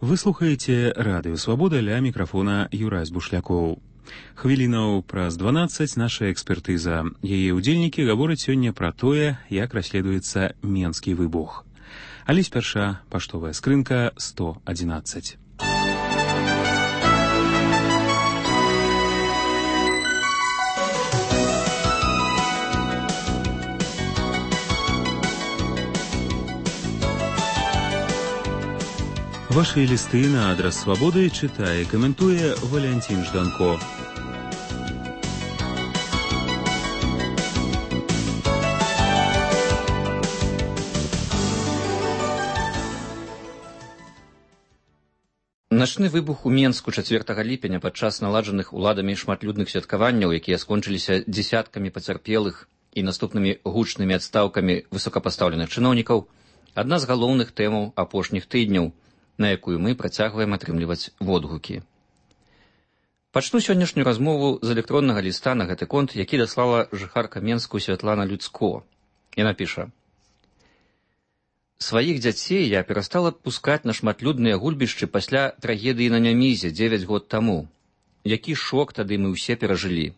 Вы слухаеце радыё Свабода, ля мікрафона Юрась Бушлякоў. Хвілінаў праз 12 наша экспертыза. Яе ўдзельнікі гавораць сёння пра тое, як расследуецца Менскі выбух. Але спярша паштовая скрынка 111. Ваши листы на адрес Свободы читае, комментуя Валентин Жданко. Начны выбух у Менску 4 ліпеня падчас наладжаных уладамі шматлюдных святкаванняў, якія скончыліся дзесяткамі пацярпелых і наступнымі гучнымі адстаўкамі высокапастаўленых чыноўнікаў, адна з галоўных тэмаў апошніх тыдняў, на якую мы працягваем атрымліваць водгукі. Пачну сённяшнюю размову з электроннага ліста на гэты конт, які даслала жыхарка Менску Святлана Люцко. Яна піша: «Сваіх дзяцей я перастала пускаць на шматлюдныя гульбішчы пасля трагедыі на Нямізе 9 год таму. Які шок тады мы ўсе перажылі.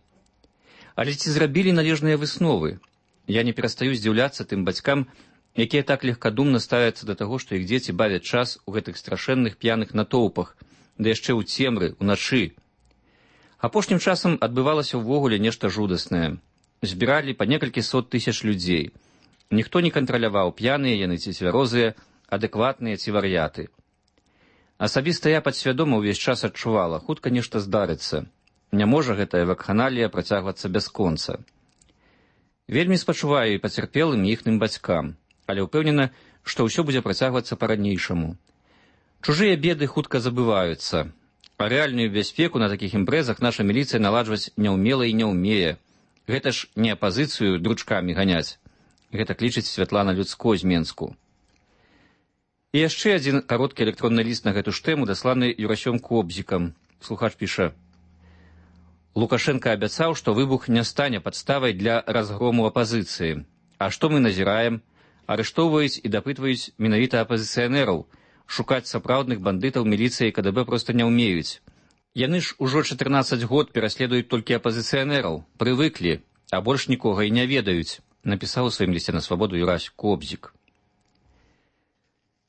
Але ці зрабілі належныя высновы? Я не перастаю здзіўляцца тым бацькам, якія так легкадумна ставяцца да таго, што іх дзеці бавяць час у гэтых страшэнных п'яных натоўпах, да яшчэ ў цемры, уначы. Апошнім часам адбывалася ўвогуле нешта жудаснае. Збіралі па некалькі сот тысяч людзей. Ніхто не кантраляваў, п'яныя яны ці цвярозыя, адэкватныя ці вар'яты. Асабіста я падсвядома ўвесь час адчувала, хутка нешта здарыцца. Не можа гэтая вакханалія працягвацца бясконца. Вельмі спачуваю і пацярпелым і іхным бацькам, але ўпэўнена, што ўсё будзе працягвацца па-ранейшаму. Чужыя беды хутка забываюцца, а рэальную бяспеку на такіх імпрэзах наша міліцыя наладжваць не ўмела і не ўмее. Гэта ж не апазіцыю дручкамі ганяць. Гэта клічыць Святлана Люцко з Менску. І яшчэ адзін кароткі электронны ліст на гэту ж тэму, дасланы Юрасём Кобзікам. Слухач піша: «Лукашенко абяцаў, што выбух не стане падставай для разгрому апазіцыі. А што мы назіраем? Арыштоўваюць і дапытваюць менавіта апазіцыянераў. Шукаць сапраўдных бандытаў міліцыя і КДБ проста не ўмеюць. Яны ж ужо 14 год пераследуюць толькі апазіцыянераў, прывыклі, а больш нікога і не ведаюць», напісаў у сваім лісце на Свабоду Юрась Кобзік.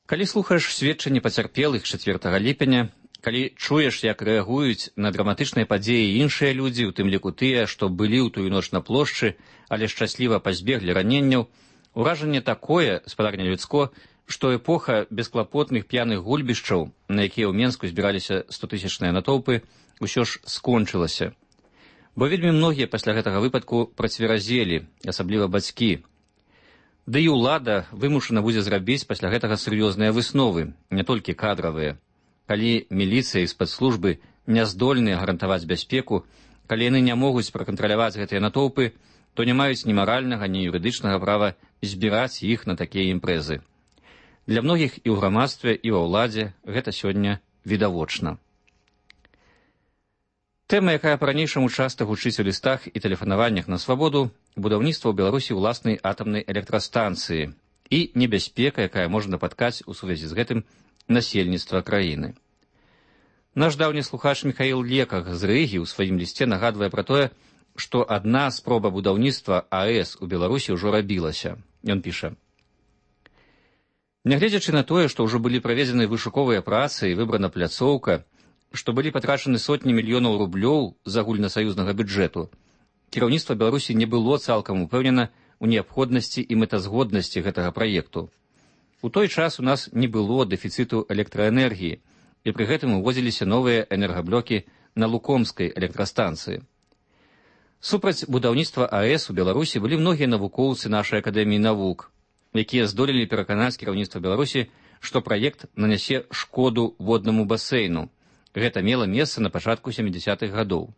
Калі слухаеш сведчанні пацярпелых 4 ліпеня, калі чуеш, як рэагуюць на драматычныя падзеі іншыя людзі, у тым ліку тыя, што былі ў тую ноч на плошчы, але шчасліва пазбеглі раненняў, уражанне такое, спадарня Люцко, што эпоха бесклапотных п'яных гульбішчаў, на якія ў Менску збіраліся 100-тысячныя натоўпы, усё ж скончылася. Бо вельмі многія пасля гэтага выпадку працверазелі, асабліва бацькі. Ды і ўлада вымушана будзе зрабіць пасля гэтага сур'ёзныя высновы, не толькі кадравыя. Калі міліцыя і спецслужбы не здольныя гарантаваць бяспеку, калі яны не могуць пракантраляваць гэтыя натоўпы, то не маюць ні маральнага, ні юрыдычнага права збіраць іх на такія імпрэзы. Для многіх і ў грамадстве, і ва ўладзе гэта сёння відавочна. Тэма, якая па-ранейшаму часта гучыць у лістах і тэлефанаваннях на Свабоду, будаўніцтва ў Беларусі ўласнай атамнай электрастанцыі і небяспека, якая можа напаткаць у сувязі з гэтым насельніцтва краіны. Наш даўні слухач Міхаіл Леках з Рыгі ў сваім лісце нагадвае пра тое, што адна спроба будаўніцтва АЭС у Беларусі ўжо рабілася. Ён піша: «Нягледзячы на тое, што ўжо былі праведзены вышуковыя працы і выбрана пляцоўка, што былі патрачаны сотні мільёнаў рублёў з агульнасаюзнага бюджэту, кіраўніцтва Беларусі не было цалкам упэўнена ў неабходнасці і мэтазгоднасці гэтага праекту. У той час у нас не было дэфіцыту электраэнергіі, і пры гэтым увозіліся новыя энергаблокі на Лукомскай электрастанцыі. Супраць будаўніцтва АЭС у Беларусі былі многія навукоўцы нашай акадэміі навук, якія здолелі пераканаць кіраўніцтва Беларусі, што праект нанясе шкоду воднаму басейну. Гэта мела месца на пачатку 70-х гадоў.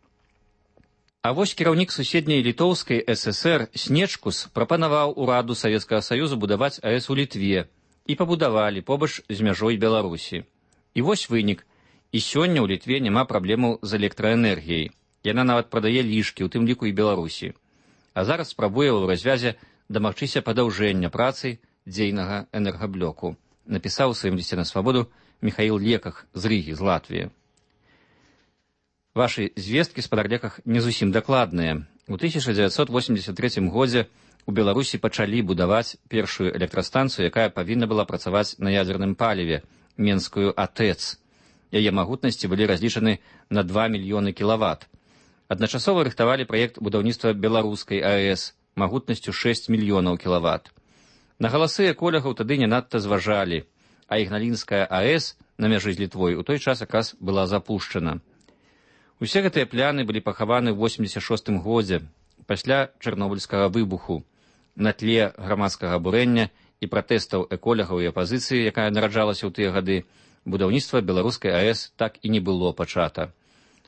А вось кіраўнік суседняй літоўскай ССР Снечкус прапанаваў ураду Савецкага Саюзу будаваць АЭС у Літве, і пабудавалі побач з мяжой Беларусі. І вось вынік. І сёння ў Літве няма праблемаў з электраэнергіяй. Яна нават прадае лішкі, у тым ліку і Беларусі. А зараз спрабуе ў развязе дамагчыся падаўжэння працы дзейнага энергаблоку, напісаў у сваім лісце на Свабоду Михаил Леках з Рыгі, з Латвіі. Вашы звесткі, спадар Леках, не зусім дакладныя. У 1983 годзе у Беларусі пачалі будаваць першую электрастанцыю, якая павінна была працаваць на ядзерным паліве, Менскую АТЭЦ. Яе магутнасці былі разлічаны на 2 мільёны кілават. Адначасова рыхтавалі праект будаўніцтва беларускай АЭС магутнасцю 6 мільёнаў кілават. На галасы эколагаў тады не надта зважалі, а Ігналінская АЭС на мяжы з Літвой у той час якраз была запушчана. Усе гэтыя пляны былі пахаваны ў 86 годзе, пасля чарнобыльскага выбуху, на тле грамадскага абурэння і пратэстаў эколагаў і апазіцыі, якая нараджалася ў тыя гады, будаўніцтва беларускай АЭС так і не было пачата.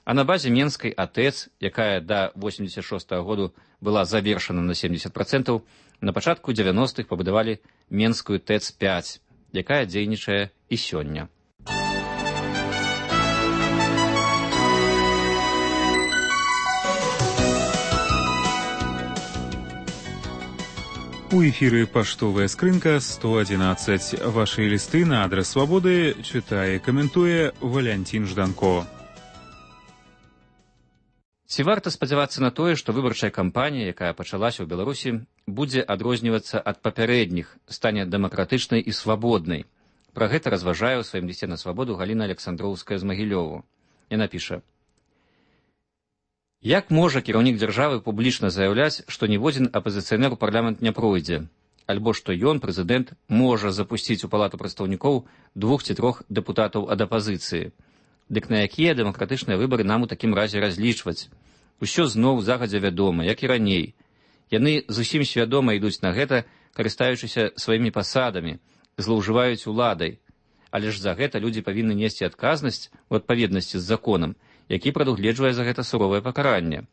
А на базе Менскай АТЭЦ, якая да 86 году была завершана на 70%, на пачатку 90-х пабудавалі Менскую ТЭЦ-5, якая дзейнічае і сёння. У эфіры паштовая скрынка 111. Вашы лісты на адрас Свабоды чытае, каментуе Валянцін Жданко. Ці варта спадзявацца на тое, што выбарчая кампанія, якая пачалася ў Беларусі, будзе адрознівацца ад папярэдніх, стане дэмакратычнай і свабоднай? Пра гэта разважае ў сваім лісце на Свабоду Галіна Александроўская з Магілёву. Яна піша: як можа кіраўнік дзяржавы публічна заяўляць, што ніводзін апазіцыянер у парламент не пройдзе, альбо што ён, прэзідэнт, можа запусціць у палату прадстаўнікоў 2 ці 3 дэпутатаў ад апазіцыі? Дык на якія дэмакратычныя выбары нам у такім разе разлічваць? Усё зноў загадзя вядома, як і раней. Яны зусім свядома ідуць на гэта, карыстаючыся сваімі пасадамі, злоўжываюць уладай. Але ж за гэта людзі павінны несці адказнасць у адпаведнасці з законам, які прадугледжвае за гэта суровае пакаранне.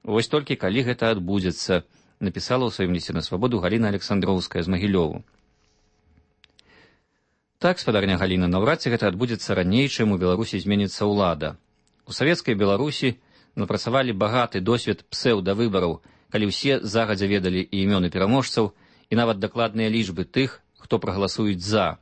Вось толькі калі гэта адбудзецца, напісала ў сваім лісце на Свабоду Галіна Александроўская з Магілёву. Так, спадарня Галіна, наўрад ці гэта адбудзецца раней, чым у Беларусі зменіцца ўлада. У савецкай Беларусі напрацавалі багаты досвед псеўдавыбараў, калі ўсе загадзя ведалі і імёны пераможцаў, і нават дакладныя лічбы тых, хто прагаласуюць за.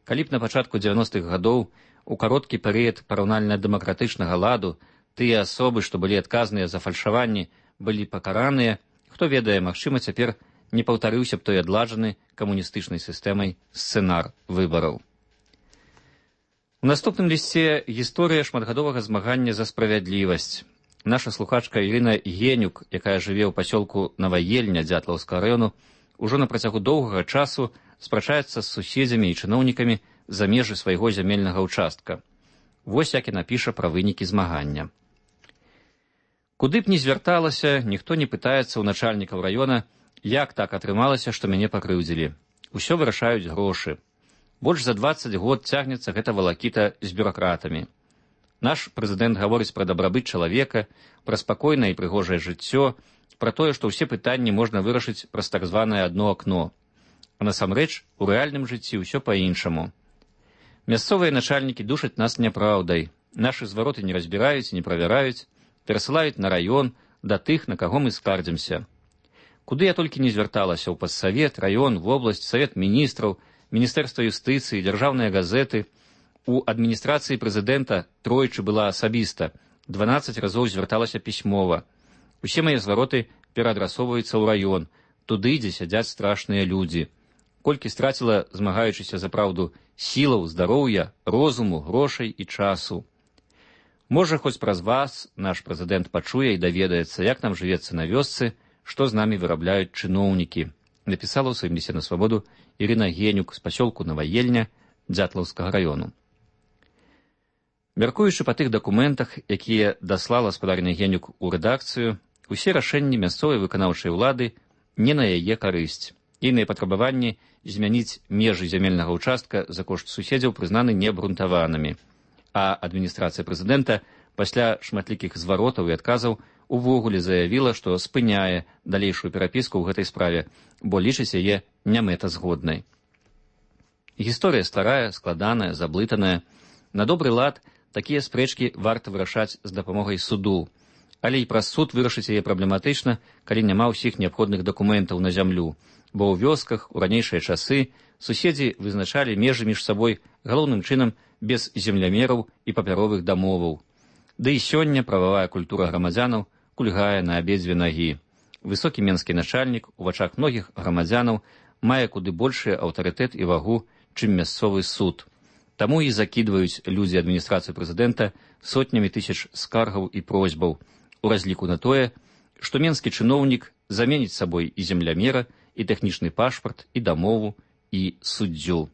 Калі б на пачатку 90-х гадоў у кароткі перыяд параўнальна-дэмакратычнага ладу тыя асобы, што былі адказныя за фальшаванні, былі пакараныя, хто ведае, магчыма, цяпер не паўтарыўся б той адладжаны камуністычнай сістэмай сцэнар выбараў. У наступным лісце гісторыя шматгадовага змагання за справядлівасць. Наша слухачка Ірына Генюк, якая жыве ў пасёлку Наваельня Дзятлаўскага раёну, ужо на працягу доўгага часу спрачаецца з суседзямі і чыноўнікамі за межы свайго зямельнага ўчастка. Вось як яна піша пра вынікі змагання. Куды б ні звярталася, ніхто не пытаецца ў начальнікаў раёна, як так атрымалася, што мяне пакрыўдзілі. Усё вырашаюць грошы. Больш за 20 год цягнецца гэта валакіта з бюракратамі. Наш прэзідэнт гаворыць пра дабрабыт чалавека, пра спакойнае і прыгожае жыццё, пра тое, што ўсе пытанні можна вырашыць праз так званае адно акно. А насамрэч, у рэальным жыцці ўсё па-іншаму. Мясцовыя начальнікі душаць нас няпраўдай. Нашы звароты не разбіраюць і не правяраюць, перасылаюць на раён, да тых, на каго мы скардзімся. Куды я толькі не звярталася, ў пассавет, раён, вобласць, савет міністраў, міністэрства юстыцыі, дзяржаўныя газеты. У адміністрацыі прэзідэнта тройчы была асабіста, 12 разоў звярталася пісьмова. Усе мае звароты пераадрасоўваюцца ў раён, туды, дзе сядзяць страшныя людзі. Колькі страціла, змагаючыся за праўду, сілаў, здароўя, розуму, грошай і часу. Можа, хоць праз вас наш прэзідэнт пачуе і даведаецца, як нам жывецца на вёсцы, што з намі вырабляюць чыноўнікі, напісала ў сваім лісце на Свабоду Ірына Генюк з пасёлку Наваельня Дзятлаўскага раёну. Мяркуючы па тых дакументах, якія даслала спадарня Генюк у рэдакцыю, усе рашэнні мясцовай выканаўчай улады не на яе карысць. Іныя патрабаванні змяніць межы зямельнага ўчастка за кошт суседзяў прызнаны неабгрунтаванымі. А адміністрацыя прэзідэнта пасля шматлікіх зваротаў і адказаў увогуле заявіла, што спыняе далейшую перапіску ў гэтай справе, бо лічыць яе нямэтазгоднай. Гісторыя старая, складаная, заблытаная. На добры лад такія спрэчкі варта вырашаць з дапамогай суду, але і праз суд вырашыць яе праблематычна, калі няма ўсіх неабходных дакументаў на зямлю, бо ў вёсках у ранейшыя часы суседзі вызначалі межы між сабой галоўным чынам без землямераў і папяровых дамоваў. Ды і сёння прававая культура грамадзянаў кульгае на абедзве нагі. Высокі менскі начальнік у вачах многіх грамадзянаў мае куды большы аўтарытэт і вагу, чым мясцовы суд. Таму і закідваюць людзі адміністрацыі прэзідэнта сотнямі тысяч скаргаў і просьбаў, у разліку на тое, што менскі чыноўнік заменіць сабой і землямера, і тэхнічны пашпарт, і дамову, і суддзю.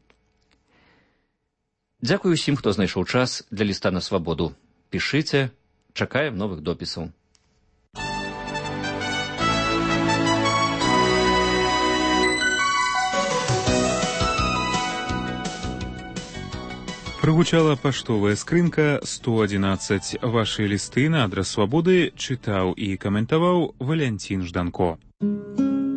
Дзякую ўсім, хто знайшоў час для ліста на свабоду. Пішыце, чакаем новых допісаў. Прыгучала паштовая скрынка 111. Вашы лісты на адрас свабоды чытаў і каментаваў Валянцін Жданко.